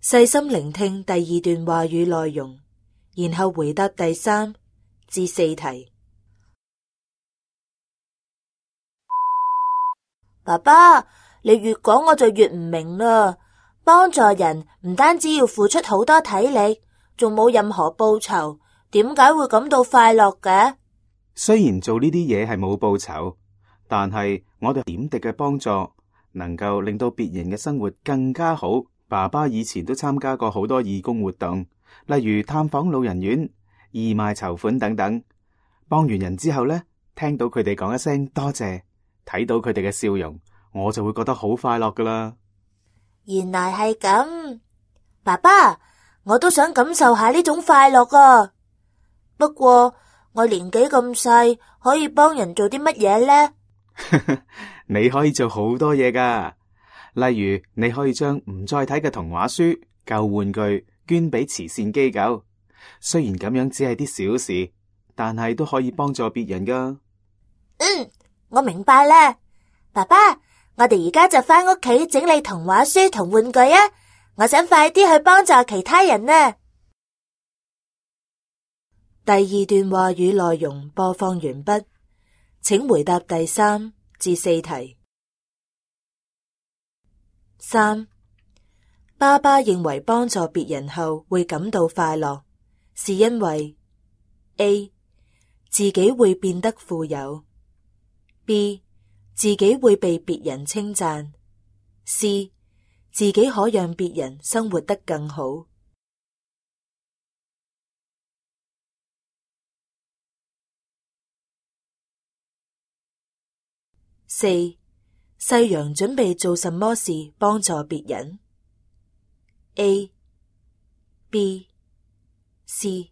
細心聆聽第二段話語內容，然後回答第3至4題。爸爸，你越講我就越唔明啦。幫助人唔單止要付出好多體力，仲冇任何報酬，點解會感到快樂嘅？雖然做呢啲嘢係冇報酬，但係我哋點滴嘅幫助能夠令到別人嘅生活更加好。爸爸以前都參加過好多義工活動，例如探訪老人院、義賣籌款等等。幫完人之後呢，聽到佢哋講一聲多謝，睇到佢哋嘅笑容，我就會覺得好快樂噶啦。原來係咁，爸爸，我都想感受下呢種快樂啊。不過我年紀咁細，可以幫人做啲乜嘢呢？你可以做好多嘢噶，例如你可以將唔再睇嘅童話書、舊玩具捐俾慈善機構。雖然咁樣只係啲小事，但係都可以幫助別人噶。我明白啦，爸爸，我哋而家就返屋企整理童話書同玩具啊！我想快啲去幫助其他人啊！第2段話語內容播放完畢，請回答第3至4題。3. 爸爸認為幫助別人後會感到快樂，是因為 A. 自己會變得富有， B. 自己會被別人稱讚， C. 自己可讓別人生活得更好。4. 細羊準備做什麼事幫助別人？ A、B、C。